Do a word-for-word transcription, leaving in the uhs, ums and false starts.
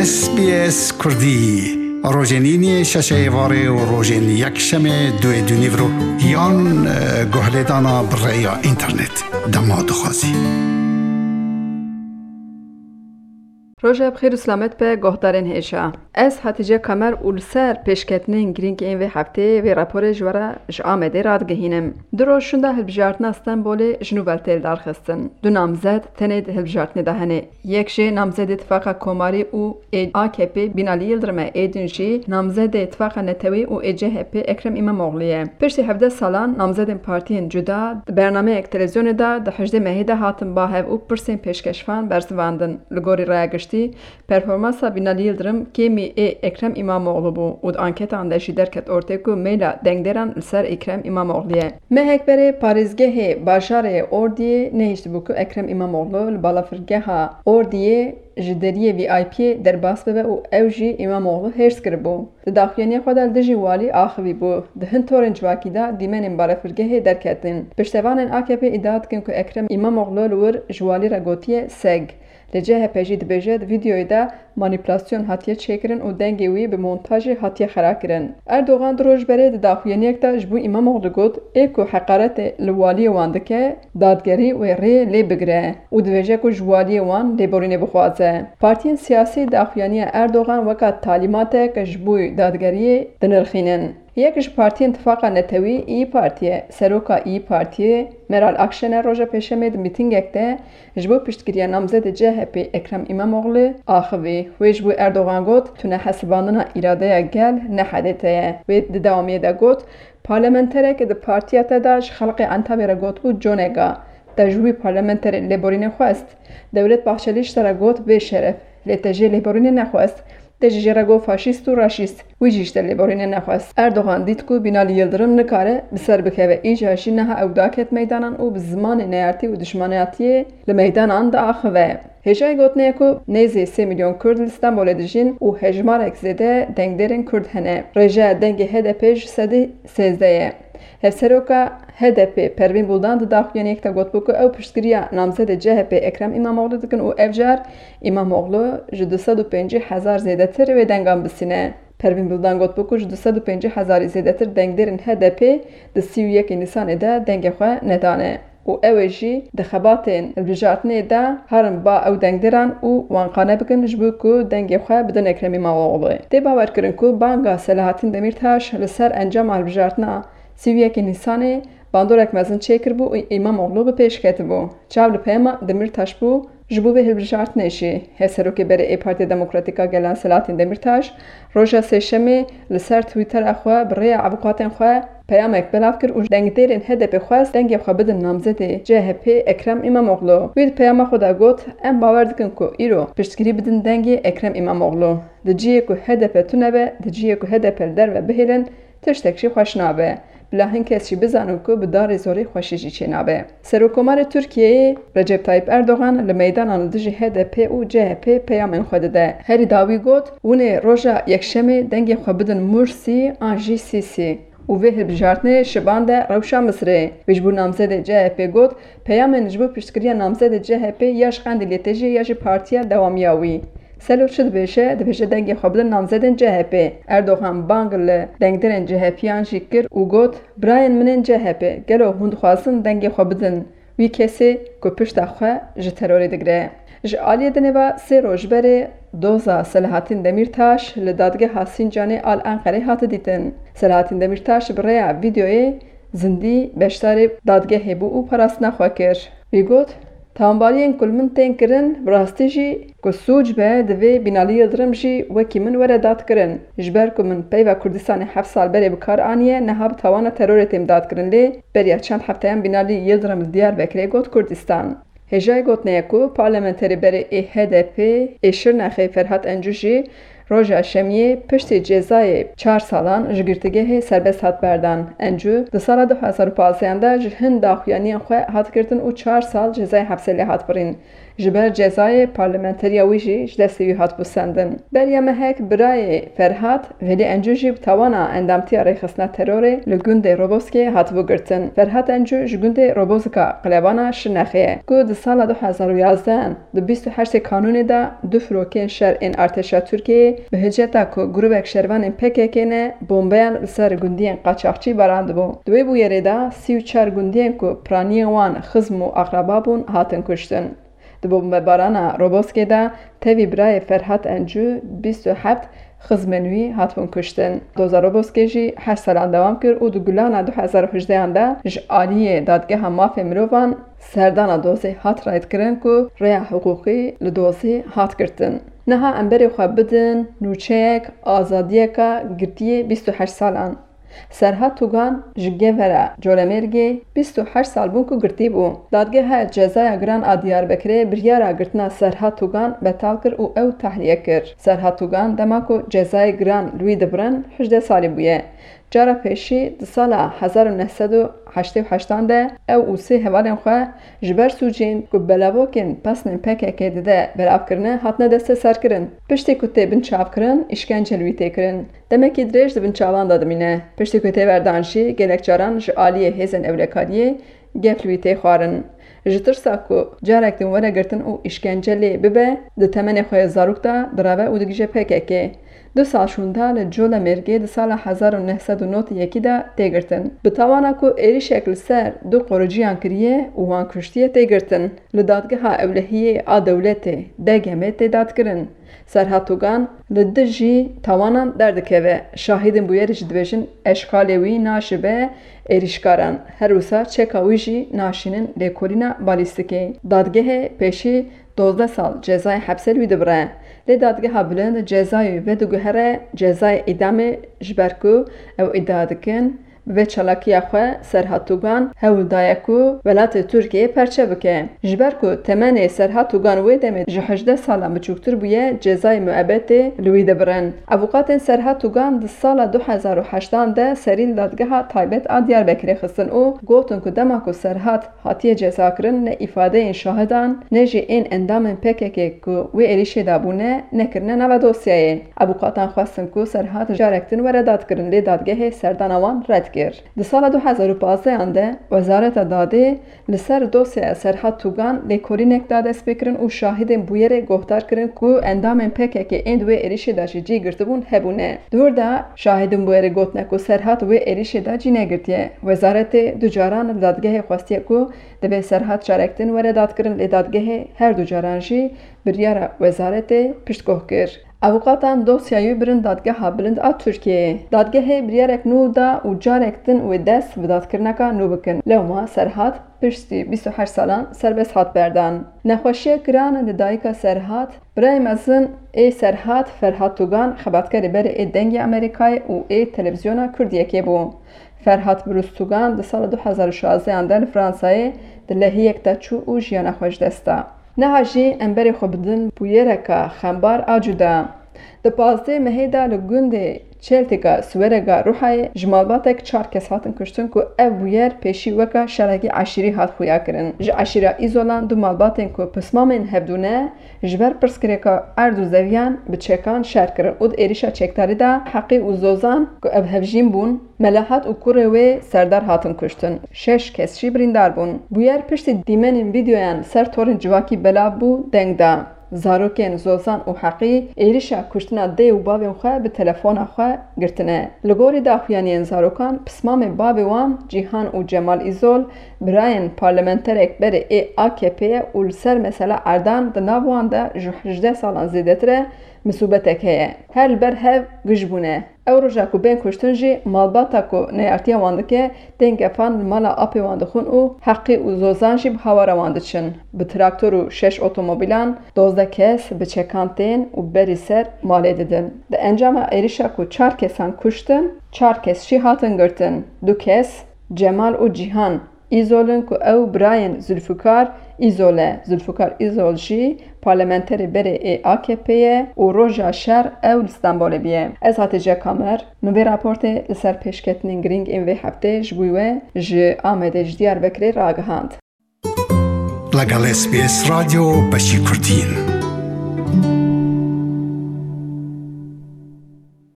S B S Kurdî, rojên îniyê şeşê êvarê û rojên yekşemê duê dûnîvro yan, e, guhlêdana bi rêya înternet. Dema dixwazî. Roja bi xêr û selamet be, guhdarên hêja. Ez Hatice Kamer û li ser pêşketinên girîng ên vê hefteyê vê raporê ji we re ji Amedê radigihînim. Du roj şûnda hilbijartina Stenbolê ji nû ve tê lidarxistin. Du namzet tenê di hilbijartinê de hene. Yek jê namzedê Tifaqa Komarî û ê A K P Binalî Yildirim e, ê din jî namzedê Tifaqa Netewî û ê C H P Ekrem Îmamoglî ye. Piştî hevdeh salan namzedên partiyên cuda di bernameyek televîzyonê de di hejdê mehê de hatin ba hev û pirsên pêşkeşvan bersivandin. Li gorî raya giştî, performansa Binalî Yildirim kêmî ê Ekrem Îmamoglu bû û di anketan de jî derket ortê ku meyla dengdêran li ser Ekrem Îmamoglî ye. Mehek berê parêzgehê bajarê Ordiyê nehiştibû ku Ekrem Îmamoglu li balafirgeha Ordiyê ji deriyê V I P'yê derbas bibe û ew jî Îmamoglu hêrs kiribû. Di daxuyaniya xwe de li dijî walî axivî bû. Di hin torên civakî de dîmenên balafirgehê derketin. Piştevanên A K P îdia dikin ku Ekrem Îmamoglu li wir ji walî re gotiye seg. Li C H P jî dibêje di vîdeoyê de manîpulasyon hatiye çêkirin û dengê wî bi montajê hatiye xera kirin. Erdogan du roj berê di daxuyaniyek de ji bo Îmamoglu got, ê ku heqaretê li waliyê wan dike, dadgerî wê rê lê bigire û dibêje ku ji waliyê wan lêborînê bixwaze. Partiyên siyasî daxuyaniya Erdogan weka talîmatek ji bo dadgeriyê dinirxînin. Yek ji partiyên Tifaqa Netewî, İYİ Parti ye. Seroka İYİ Partiyê, Meral Akşener roja Pêşemê di mîtingek de ji bo piştgiriya namzedê C H P Ekrem Îmamoglî axivî. Wê ji bo Erdogan got, tu ne hesibandina îradeya gel, ne H D P ye. Wê di dewamiyê de got, parlamenterek di partiya te de ji xelkê Entabê re gotibû coneka. Te ji wî parlamenterê lêborînê xwest. Devlet Bahçelî ji te re got, bêşeref, lê te jê lêborînê nexwest. Te jî jê re got faşîst û raşîst. Wî jî ji te lêborînê nexwest. Erdogan dît ku Binalî Yildirim nikare bi ser bikeve. Îcar jî niha ew daket meydanan û bi zimanê neyartî û dijmanatiyê li meydanan diaxive. Hêjayî gotinê ye ku nêzî sê milyon Kurd li Stenbolê dijîn û hejmarek zêde dengdêrên Kurd hene. Rêjeya dengê H D P ji sedî sêzdeh ye. Hevseroka H D P Pervîn Buldan di daxuyaniyek de gotibû ku ew piştgiriya namzedê C H P Ekrem Îmamoglu dikin û ev car Îmamoglu ji du sed û pêncî hezar zêdetir wê dengan bisîne. Pervîn Buldan gotibû ku ji du sed û pêncî hezarî zêdetir dengdêrên H D P di sî û yekê Nîsanê de dengê xwe nedane û ew ê jî di xebatên hilbijartinê de herin ba ew dengdêran û wan qane bikin ji bo ku dengê xwe bidin Ekrem Îmamoglû. Tê bawerkirin ku banga Selahattin Demîrtaş li ser encama hilbijartina sî û yekê Nîsanê bandorek mezin çêkiribû û Îmamoglû bi pêş ketibû. Çav li peyama Demîrtaş bû, ji bo vê hilbijartinê jî. Hevserokê berê ê Partiya Demokratîk a Gelan Selahattin Demîrtaş roja Sêşemê li ser Twittera xwe bi rêya avûkatên xwe peyamek belav kir û dengdêrên H D P xwest dengê xwe bidin namzedê C H P Ekrem Îmamoglû. Wî di peyama xwe de got, em bawer dikin ku îro piştgirî bidin dengê Ekrem Îmamoglû. Di cihê ku H D P tune be, di cihê ku H D P li derve bihêlin, tiştek jî xweş nabe. Bila hin kes jî bizanin ku bi darê zorê xweşî jî çênabe. Serokkomarê Tirkiyeyê Recep Tayyip Erdogan li meydanan li dijî H D P û C H P peyamên xwe dide. Herî dawî got, hûn ê roja Yekşemê dengê xwe bidin Mursî an jî Sîsî. Û vê hilbijartinê şiban de rewşa Misirê. Wî ji bo namzedê C H P got, peyamên ji bo piştgiriya namzedê C H P ya ji Qendîlê tê jî ya jî partiya dewamiya wî. Selo çi dibêje? Dibêje dengê xwe bidin namzedên C H P. Erdogan bang li dengdêrên C H P yan jî kir û got, birayên min ên C H P, gelo hûn dixwazin dengê xwe bidin wî kesê ku pişta xwe ji terorê digire? Ji aliyê dinê ve sê roj berê doza Selahattin Demîrtaş li dadgeha Sîncanê a li Enqerê hate dîtin. Selahattin Demîrtaş bi rêya vîdeoyê zindî beşdarê dadgehê bû û parastina xwe kir. Wî got, tawanbariyên ku li min tên kirin, bi rastî jî ku sûc be, divê Binalî Yildirim jî wekî min were dadkirin. Ji ber ku min peyva Kurdistanê heft sal berê bi kar aniye, niha bi tawana terorê têm dadkirin, lê beriya çend hefteyan Binalî Yildirim li Diyarbekirê got Kurdistan. Hêjayî gotinê ye ku parlamenterê berê ê H D P ê Şirnexê Ferhat Encû jî Roja Şemiyê piştî cezayê çar salan ji girtîgehê serbest hat berdan. Encû di sala du hezar û pazdeh de ji hin daxuyaniyên xwe hat girtin û çar sal cezayê hepsê lê hat birîn. Ji ber cezayê parlamenteriya wî jî ji destê wî hatibû sendin. Beriya mehek birayê Ferhat Velî Encû jî bi tawana endamtiya rêxistina terorê li gundê Roboskê hatibû girtin. Ferhat Encû ji gundê Robozika Qilebana Şirnexê ye ku di sala du hezar û yazdeh di bîst û heştê Kanûnê de du firokên şer ên artêşa Tirkiyeyê bi hiceta ku grûbek şervanên P K K ne, bombeyan li ser gundiyên qaçaxçî barandibû. Di wê bûyerê de sî û çar gundiyên ku piraniyên wan xizm û aqraba bûn hatin kuştin. Di bombebarana Roboskê de tevî birayê Ferhat Encû bîst û heft xizmên wî hatibûn kuştin. Doza Roboskê jî heşt salan dewam kir û di Gulana du hezar û hejdehan de ji aliyê Dadgeha Mafê Mirovan serdana dozê hat rayîdkirin ku rêya hiqûqî li dozê hat girtin. Niha em berê xwe bidin nûçeyek azadiyeka girtiyê bîst û heşt salan. Serhat Tugan ji Gevera Colemêrgê bîst û heşt sal bû ku girtî bû. Dadgeha cezaya giran a Diyarbekirê biryara girtina Serhat Tugan betal kir û ew tahliye kir. Serhat Tugan dema ku cezayê giran li wî dibirin hejdeh salî bûye. Cara pêşî di sala hezar û neh sed û heştê û heştan de ew û sê hevalên xwe ji ber sûcên ku belavokên pesnên P K K dide belav kirine hatine desteserkirin. Piştî ku tê binçavkirin, îşkence li wî tê kirin. Demekî dirêj di binçavan de dimîne. Piştî ku tê berdan jî gelek caran ji aliyê hêzên ewlekariyê gef li wî tê xwarin. Ji tirsa ku carek din were girtin û îşkence lê bibe, di temenê xwe yê zarok de direve û digihîje P K K. Du sal şûnda li Colemêrgê di sala hezar û neh sed û nod û yekî de tê girtin. Bi tawana ku êrîşek li ser du qoriciyan kiriye û wan kuştiye tê girtin. Li dadgeha ewlehiyê a dewletê, D G M'ê tê dadkirin. Serhat Tugan li dijî tawanan derdikeve. Şahidên bûyerê jî dibêjin eşkalê wî naşibe êrîşkaran. Her wisa çeka wî jî naşînin lêkolîna balîstîkê. Dadgehê pêşî dozdeh sal cezayê hepsê li wî dibire. Lê Dadgeha Bilind cezayê wî vediguhere cezayê îdamê, ji ber ku ew îdia dikin, bi vê çalakiya xwe Serhat Tugan hewl daye ku welatê Tirkiyeyê perçe bike. Ji ber ku temenê Serhat Tugan wê demê ji hejdeh salan biçûktir bûye, cezayê muebetê li wî dibirin. Avûkatên Serhat Tugan di sala du hezar û heştan de serî li Dadgeha Taybet a Diyarbekirê xistin û gotin ku dema ku Serhat hatiye cezakirin, ne îfadeyên şahidan ne jî ên endamên P K K ku wê êrîşê de bûne, nekirine nava dosyayê. Avûkatan xwestin ku Serhat carek din were dadkirin, lê dadgehê serdana wan red kir. Di sala du hezar û pazdehan de Wezareta Dadê li ser dosyaya Serhat Tugan lêkolînek da destpêkirin û şahidên bûyerê guhdar kirin ku endamên P K K ên di wê êrîşê de jî cî girtibûn hebûne. Di wir de şahidên bûyerê gotine ku Serhat wê êrîşê de cî negirtiye. Wezaretê du caran li dadgehê xwestiye ku divê Serhat carek din were dadkirin, lê dadgehê her du caran jî biryara wezaretê piştguh kir. Avûkatan dosyayê birin Dadgeha Bilind a Tirkiyeyê. Dadgehê biryarek nû da û carek din wê dest bi dadkirineka nû bikin. Lewma Serhat piştî bîst û heşt salan serbest hat berdan. Nexweşiyek giran li dayika Serhat, birayê mezin ê Serhat Ferhat Tugan, xebatkarê berê ê Dengê Amerîkayê û ê Televîzyona Kurdiyekê bû. Ferhat Birûz Tugan di sala du hezar û şazdehan de li Fransayê di lehiyek de çû û jiyana xwe ji dest da. Niha jî em berê xwe bidin bûyereka xembar a cuda. Di pazdeh mehê de li gundê Çeltîka Siwerega Rûhayê ji malbatek çar kes hatin kuştin ku ev bûyer pêşî weka şerekî eşîrî hat xuyakirin. Ji eşîra Îzolan du malbatên ku pismamên hevdû ne, ji ber pirsgirêka erd û zeviyan bi çekan şer kirin û di êrîşa çekdarî de Heqî û Zozan ku ev hevjîn bûn, Melahat û kurê wê Serdar hatin kuştin. Şeş kes jî birîndar bûn. Bûyer piştî dîmenên vîdeoyan li ser torên civakî belav bû, deng da. Zarokên Zozan û Heqî êrîşa kuştina dê û bavên xwe bi telefona xwe girtine. Li gorî daxuyaniyên zarokan, pismamê bavê wan Cîhan û Cemal Îzol, birayên parlamenterek berê ê A K P'ê ye û li ser mesela erdan di nav wan de ji hejdeh salan zêdetir e misûbetek heye. Her li ber hev gij bûne. Ew roja ku bên kuştin jî malbata ku neyartiya wan dike, tên gefan li mala apê wan dixwin û Heqî û Zozan jî bi hawara wan diçin. Bi traktor û şeş otomobîlan dozdeh kes bi çekan tên û berî ser malê didin. Di encama êrîşa ku çar kesan kuştin, çar kes jî hatin girtin. Du kes, Cemal û Cîhan, Îzol in ku ew birayên Zulfikar Îzol e. Zulfikar Îzol jî parlamenterê berê ê A K P ye û roja şer ew li Stenbolê bûye. Ez Hatice Kamer, min vê raportê li ser pêşketinên girîng ên vê heftê ji bo we ji Amedê ji Diyarbekirê ragihand. لەگەڵ S B S رادیۆ بەشی کوردین.